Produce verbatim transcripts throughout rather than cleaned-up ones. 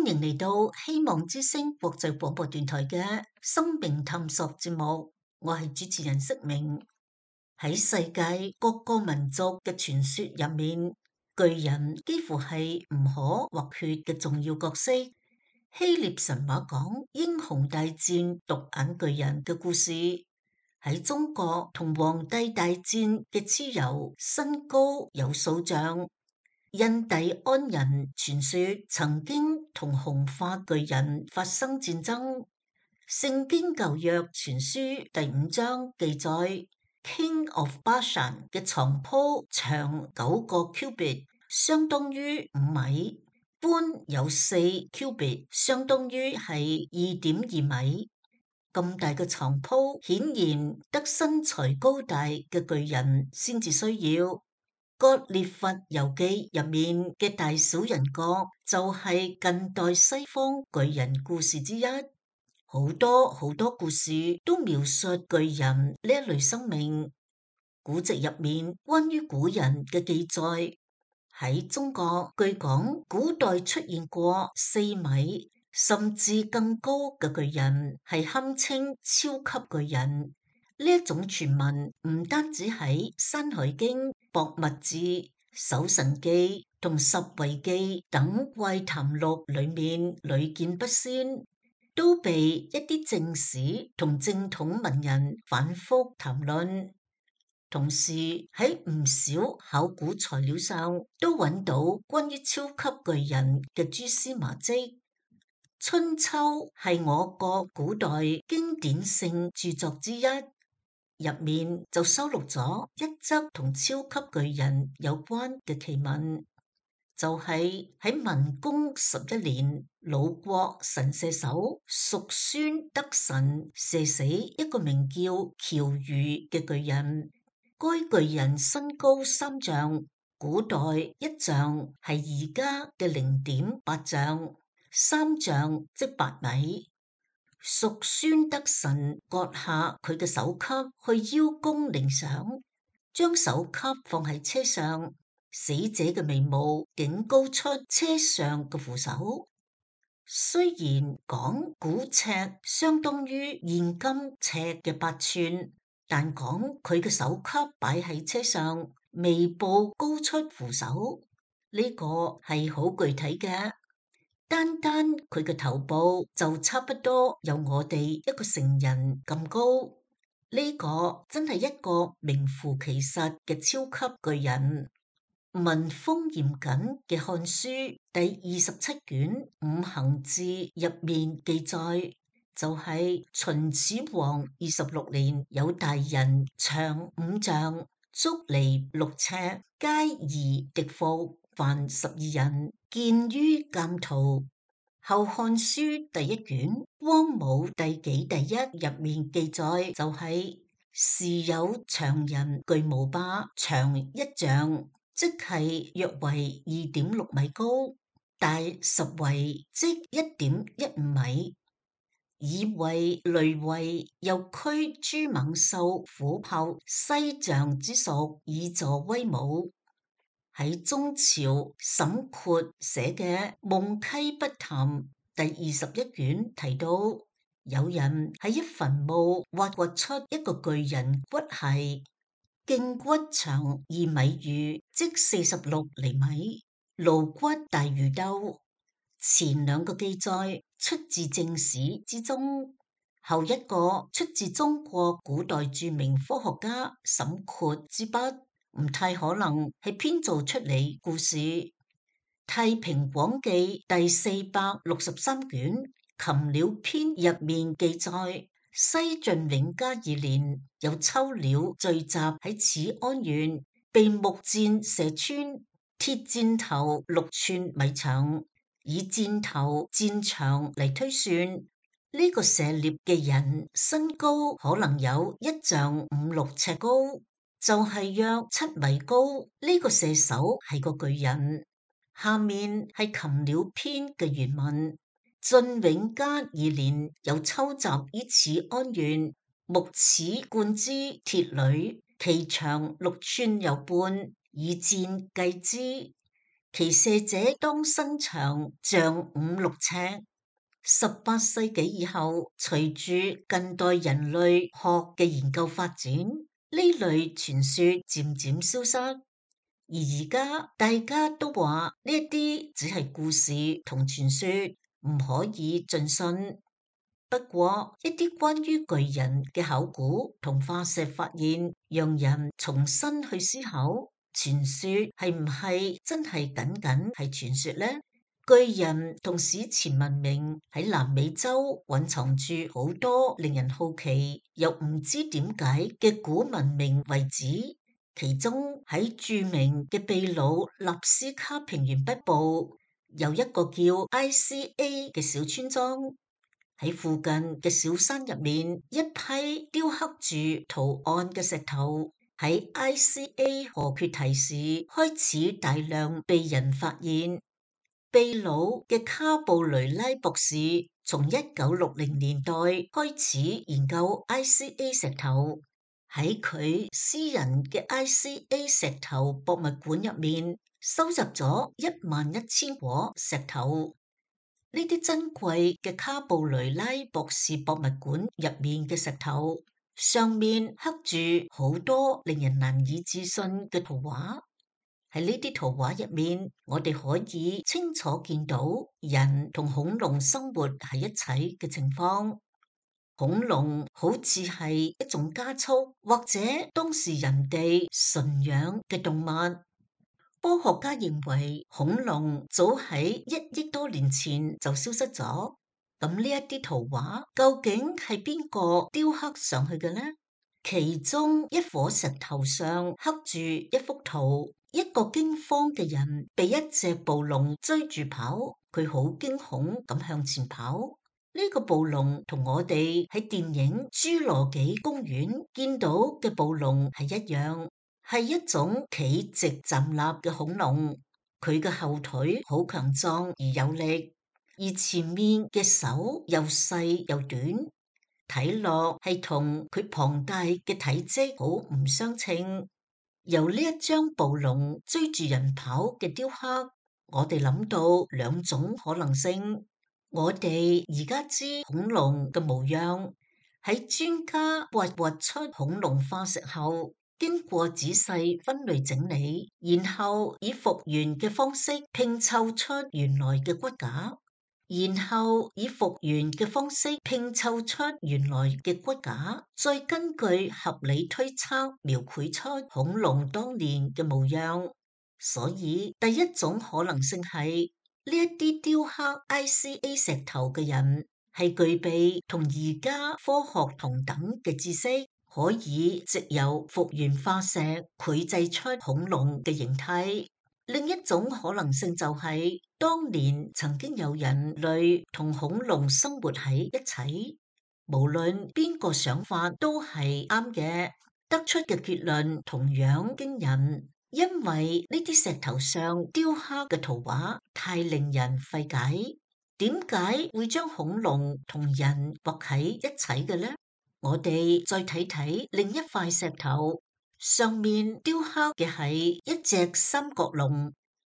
迎嚟到希望之聲國際廣播電台嘅生命探索節目，我係主持人釋明。喺世界各個民族嘅傳說入面，巨人幾乎係唔可或缺嘅重要角色。希臘神話講英雄大戰獨眼巨人嘅故事，喺中國同黃帝大戰嘅蚩尤身高有數丈。印第安人傳說曾經同紅髮巨人發生戰爭。聖經舊約傳書第五章記載 ，King of Bashan 嘅床鋪長九個 cubit， 相當於五米，寬有四 cubit， 相當於係二點二米。咁大嘅床鋪，顯然得身材高大嘅巨人先至需要。《割列佛遊記》入面嘅大小人國就係近代西方巨人故事之一，好多好多故事都描述巨人呢一類生命。古籍入面關於古人嘅記載，喺中國據講古代出現過四米甚至更高嘅巨人，係堪稱超級巨人。呢一種傳聞唔單止喺《山海經》、《博物志》、《搜神記》同《十遺記》等怪談錄裏面屢見不鮮，都被一啲正史同正統文人反覆談論。同時喺唔少考古材料上都揾到關於超級巨人嘅蛛絲馬跡。《春秋》係我國古代經典性著作之一。入面就收錄咗一則同超級巨人有關嘅奇聞，就係喺民公十一年，魯國神射手叔孫得神射死一個名叫喬豫嘅巨人。該巨人身高三丈，古代一丈係而家嘅零點八丈，三丈即八米。叔孫得神割下佢嘅首級去邀功領賞，將首級放喺車上，死者嘅眉毛竟高出車上嘅扶手。雖然講古尺相當於現今尺嘅八寸，但講佢嘅首級擺喺車上，眉部高出扶手，呢、這個係好具體嘅。單單佢嘅頭部就差不多有我哋一個成人咁高，呢個真係一個名副其實嘅超級巨人。文風嚴謹嘅《漢書》第二十七卷《五行志》入面記載，就係、是、秦始皇二十六年，有大人長五丈，足離六尺，皆夷狄服，凡十二人。見於鑑圖，《後漢書》第一卷《光武帝紀》第一入面記載，就係、是、時有長人巨無霸，長一丈，即係約為二點六米高，大十圍，即一點一五米。以為累位，又驅諸猛獸、虎豹、西象之屬，以助威武。喺中朝沈括寫嘅《夢溪筆談》第二十一卷提到，有人喺一墳墓挖掘出一個巨人骨骸，頸骨長二米餘，即四十六厘米，顱骨大如兜。前兩個記載出自正史之中，後一個出自中國古代著名科學家沈括之筆。唔太可能係編造出嚟故事。《太平廣記》第四百六十三卷《禽鳥篇》入面記載，西晉永嘉二年，有秋鳥聚集喺始安縣，被木箭射穿，鐵箭頭六寸米長，以箭頭箭長嚟推算，呢、這個射獵嘅人身高可能有一丈五六尺高。就係約七米高，呢、這個射手係個巨人。下面係《禽鳥篇》嘅原文：晉永嘉二年，有秋集於始安縣，木齒貫之鐵鋁，其長六寸有半，以箭計之。其射者當身長像五六尺。十八世紀以後，隨住近代人類學嘅研究發展，呢類傳說漸漸消失。而而家大家都話呢一啲只係故事同傳說，唔可以盡信。不過一啲關於巨人嘅考古同化石發現，讓人重新去思考，傳說係唔係真係僅僅係傳說呢？巨人同史前文明喺南美洲蘊藏住好多令人好奇又唔知點解嘅古文明遺址，其中喺著名嘅秘魯納斯卡平原北部有一個叫 I C A 嘅小村莊。喺附近嘅小山入面，一批雕刻住圖案嘅石頭喺 I C A 河缺堤時開始大量被人發現。秘魯嘅卡布雷拉博士從一九六零年代開始研究 I C A 石頭，喺佢私人嘅 I C A 石頭博物館入面收集咗一萬一千顆石頭。呢啲珍貴嘅卡布雷拉博士博物館入面嘅石頭，上面刻住好多令人難以置信嘅圖畫。喺呢啲圖畫入面，我哋可以清楚見到人同恐龍生活喺一齊嘅情況。恐龍好似係一種家畜，或者當時人哋馴養嘅動物。科學家認為恐龍早喺一億多年前就消失咗。咁呢一啲圖畫究竟係邊個雕刻上去嘅呢？其中一顆石頭上刻住一幅圖，一個驚慌嘅人被一隻暴龍追住跑，佢好驚恐咁向前跑。呢個暴龍同我哋喺電影《侏羅紀公園》見到嘅暴龍係一樣。係一種企直站立嘅恐龍，佢嘅後腿好強壯而有力，而前面嘅手又細又短，睇落係同佢龐大嘅體積好唔相稱。由呢一張暴龍追住人跑嘅雕刻，我哋諗到兩種可能性。我哋而家知恐龍嘅模樣，喺專家挖掘出恐龍化石後，經過仔細分類整理，然後以復原嘅方式拼湊出原來嘅骨架，然後以復原嘅方式拼湊出原來嘅骨架，再根據合理推測描繪出恐龍當年嘅模樣。所以第一種可能性係呢一啲雕刻 I C A 石頭嘅人係具備同而家科學同等嘅知識，可以藉由復原化石繪製出恐龍嘅形態。另一種可能性就係、是、當年曾經有人類同恐龍生活喺一齊，無論邊個想法都係啱嘅，得出嘅結論同樣驚人，因為呢啲石頭上雕刻嘅圖畫太令人費解。點解會將恐龍同人畫喺一齊嘅呢？我哋再睇睇另一塊石頭，上面雕刻嘅係一隻三角龍。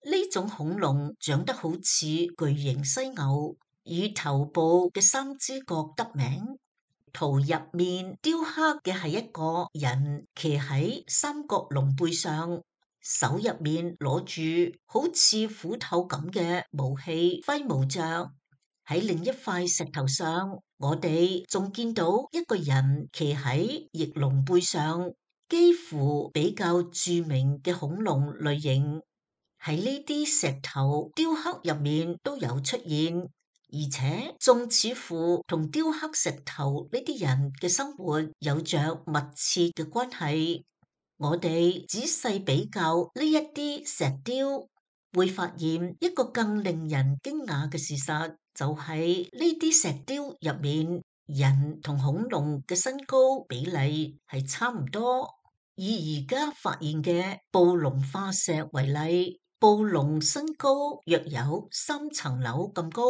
呢種恐龍長得好似巨型犀牛，以頭部嘅三支角得名。圖入面雕刻嘅係一個人騎喺三角龍背上，手入面攞住好似斧頭咁嘅武器揮舞着。喺另一塊石頭上，我哋仲見到一個人騎喺翼龍背上，幾乎比較著名嘅恐龍類型喺呢啲石頭雕刻入面都有出現，而且仲似乎同雕刻石頭呢啲人嘅生活有着密切嘅關係。我哋仔細比較呢一啲石雕，會發現一個更令人驚訝嘅事實。就係呢啲石雕入面，人同恐龍嘅身高比例係差唔多。以而家發現嘅暴龍化石為例，暴龍身高約有三層樓咁高。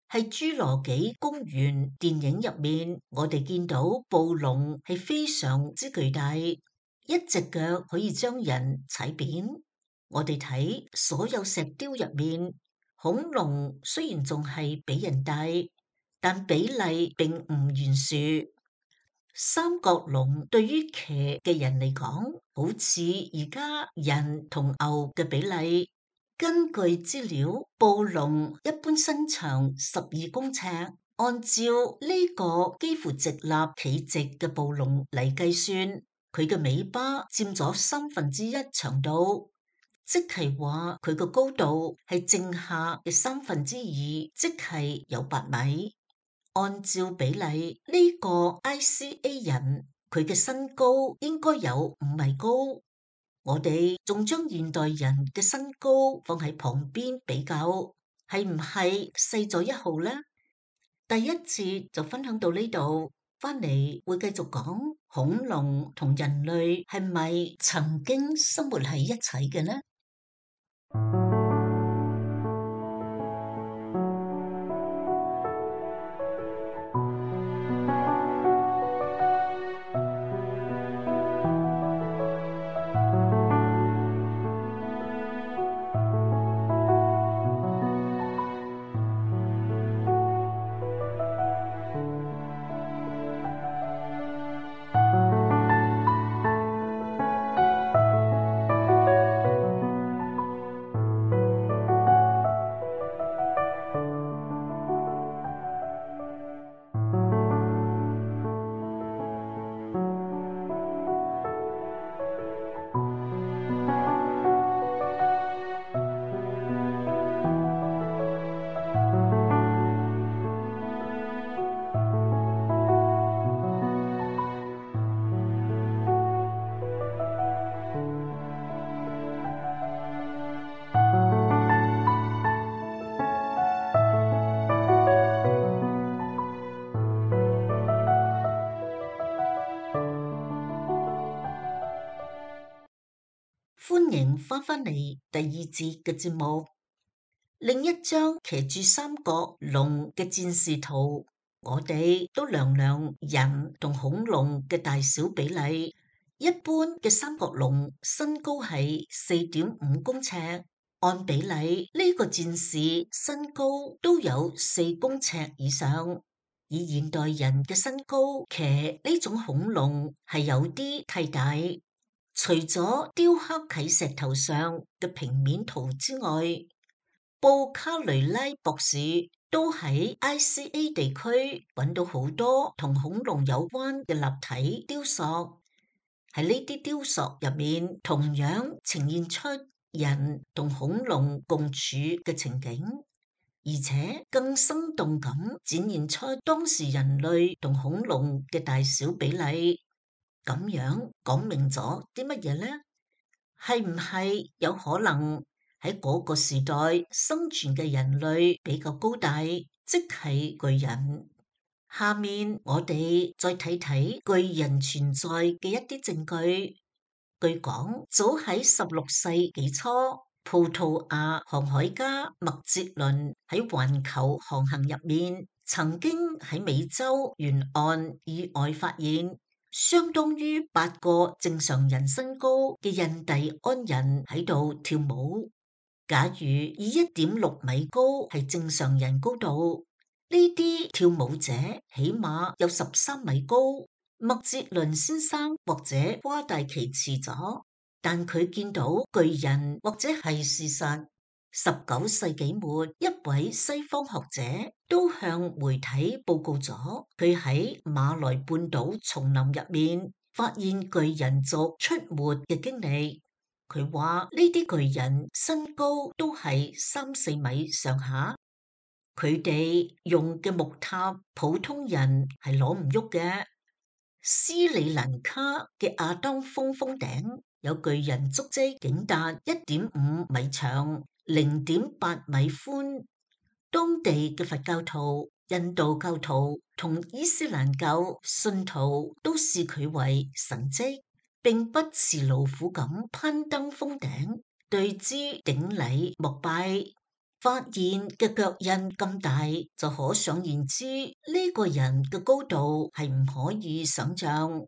喺侏羅紀公園電影入面，我哋見到暴龍係非常之巨大，一隻腳可以將人踩扁。我哋睇所有石雕入面，恐龍雖然仲係比人大，但比例並唔懸殊。三角龍對於騎嘅人嚟講，好似而家人同牛嘅比例。根據資料，暴龍一般身長十二公尺，按照呢個幾乎直立企直嘅暴龍嚟計算，佢嘅尾巴佔咗三分之一長度，即係話佢個高度係正下嘅三分之二，即係有八米。按照比例，呢個 I C A 人佢嘅身高應該有五米高。我哋仲將現代人嘅身高放喺旁邊比較，係唔係細咗一號呢？第一節就分享到呢度，翻嚟會繼續講恐龍同人類係咪曾經生活喺一齊嘅呢？歡迎翻返嚟第二節嘅節目。另一張騎住三角龍嘅戰士圖，我哋都量量人同恐龍嘅大小比例。一般嘅三角龍身高係四點五公尺，按比例呢個戰士身高都有四公尺以上。以現代人嘅身高騎呢種恐龍係有啲太大。除咗雕刻喺石頭上嘅平面圖之外，布卡雷拉博士都喺 I C A 地區揾到好多同恐龍有關嘅立體雕塑。喺呢啲雕塑入面，同樣呈現出人同恐龍共處嘅情景，而且更生動咁展現出當時人類同恐龍嘅大小比例。咁樣講明咗啲乜嘢呢？係唔係有可能喺嗰個時代生存嘅人類比較高大，即係巨人？下面我哋再睇睇巨人存在嘅一啲證據。據講，早喺十六世紀初，葡萄牙航海家麥哲倫喺環球航行入面，曾經喺美洲沿岸意外發現相當於八個正常人身高嘅印第安人喺度跳舞。假如以一點六米高係正常人高度，呢啲跳舞者起碼有十三米高。麥哲倫先生或者誇大其詞咗，但佢見到巨人或者係事實。十九世紀末，一位西方學者都向媒體報告咗佢喺馬來半島叢林入面發現巨人族出沒嘅經歷。佢話呢啲巨人身高都係三四米上下，佢哋用嘅木塔普通人係攞唔喐嘅。斯里蘭卡嘅亞當峰峰頂有巨人足跡，竟達一點五米長，零點八米寬。當地嘅佛教徒、印度教徒同伊斯蘭教信徒都視佢為神蹟，並不辭勞苦咁攀登峰頂，對之頂禮膜拜。發現嘅腳印咁大，就可想而知呢個人嘅高度係唔可以想象。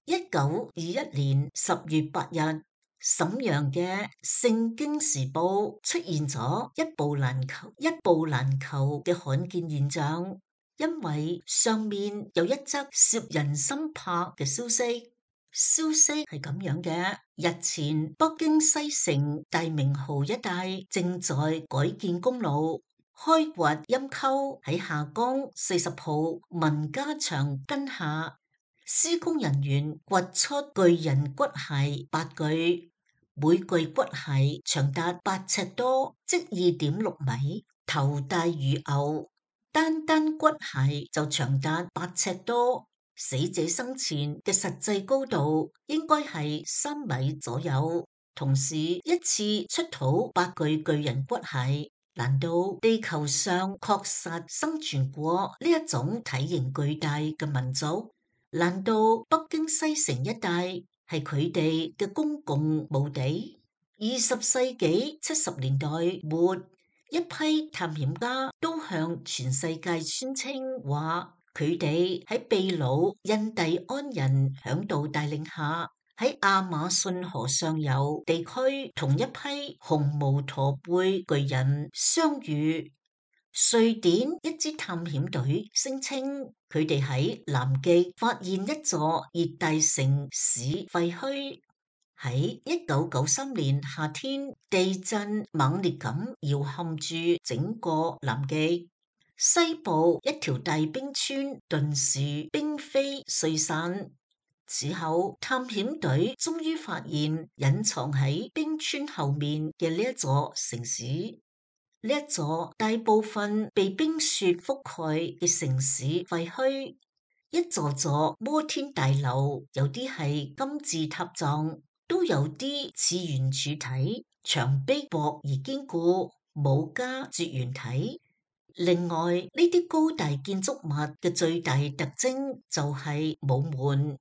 一九二一年十月八日，瀋陽嘅《聖經時報》出現咗一部難求、一部難求嘅罕見現象，因為上面有一則攝人心魄嘅消息。消息係咁樣嘅：日前北京西城大明壕一帶正在改建公路，開掘陰溝喺下江四十號文家場根下，施工人員掘出巨人骨骸八具，每具骨骸長達八尺多，即二點六米，頭大如牛，單單骨骸就長達八尺多。死者生前嘅實際高度應該係三米左右。同時一次出土八具巨人骨骸，難道地球上確實生存過呢一種體型巨大嘅民族？難道北京西城一帶係佢哋嘅公共墓地？二十世紀七十年代末，一批探險家都向全世界宣稱話，佢哋喺秘魯印第安人嚮導帶領下，喺亞馬遜河上游地區同一批紅毛駝背巨人相遇。瑞典一支探險隊聲稱，佢哋喺南極發現一座熱帶城市廢墟。喺一九九三年夏天，地震猛烈咁搖撼住整個南極。西部一條大冰川頓時冰飛碎散，此後探險隊終於發現隱藏喺冰川後面嘅呢一座城市。呢一座大部分被冰雪覆蓋嘅城市廢墟，一座座摩天大樓，有啲係金字塔狀，都有啲似圓柱體，牆壁薄而堅固，冇加絕緣體。另外，呢啲高大建築物嘅最大特徵就係冇門，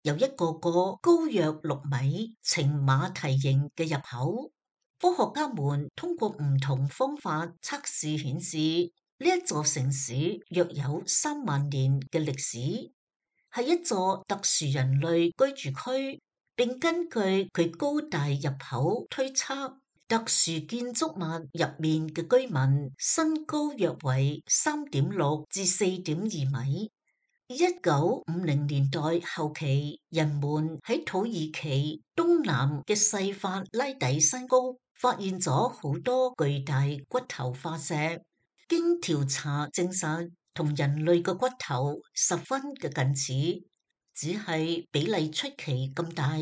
有一個個高約六米、呈馬蹄形嘅入口。科學家們通過唔同方法測試顯示，呢一座城市約有三萬年嘅歷史，係一座特殊人類居住區，並根據佢高大入口推測，特殊建築物入面嘅居民身高約為三點六至四點二米。一九五零年代後期，人們喺土耳其東南嘅細法拉底山谷發現咗好多巨大骨頭化石，經調查證實同人類嘅骨頭十分嘅近似，只係比例出奇咁大。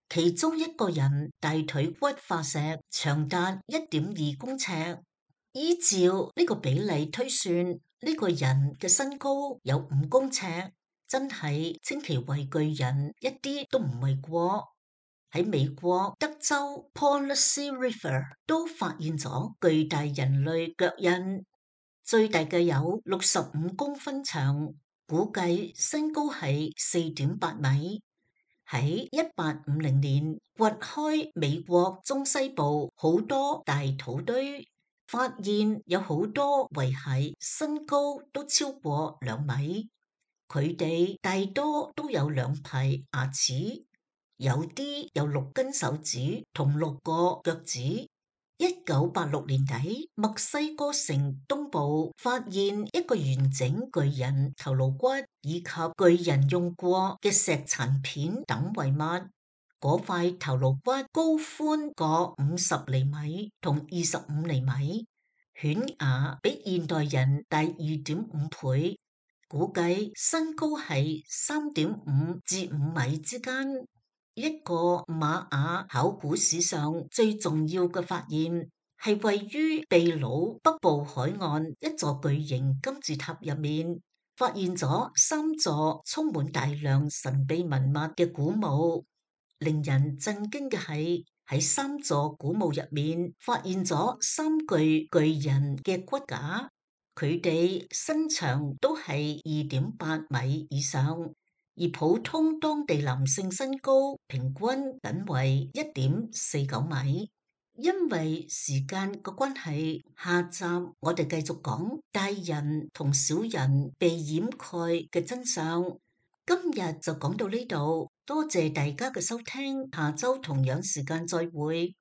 其中一個人大腿骨化石長達一點二公尺，依照呢個比例推算，呢個人嘅身高有五公尺，真係稱其為巨人一啲都唔為過。喺美國德州 Policy River 都發現咗巨大人類腳印，最大嘅有六十五公分長，估計身高係四點八米。喺一八五零年掘開美國中西部好多大土堆，發現有好多遺骸身高都超過兩米，佢哋大多都有兩排牙齒，有啲有六根手指同六個腳趾。一九八六年底，墨西哥城東部發現一個完整巨人頭顱骨以及巨人用過嘅石殘片等遺物。嗰塊頭顱骨高寬各五十厘米同二十五厘米，犬牙比現代人大二點五倍，估計身高係三點五至五米之間。一個瑪雅考古史上最重要嘅發現，係位於秘魯北部海岸一座巨型金字塔入面，發現咗三座充滿大量神秘文物嘅古墓。令人震驚嘅係，喺三座古墓入面發現咗三具巨人嘅骨架，佢哋身長都係二點八米以上。而普通當地男性身高平均僅為一點四九米。因為時間嘅關係，下集我哋繼續講大人同小人被掩蓋嘅真相。今日就講到呢度。多謝大家嘅收聽，下周同樣時間再會。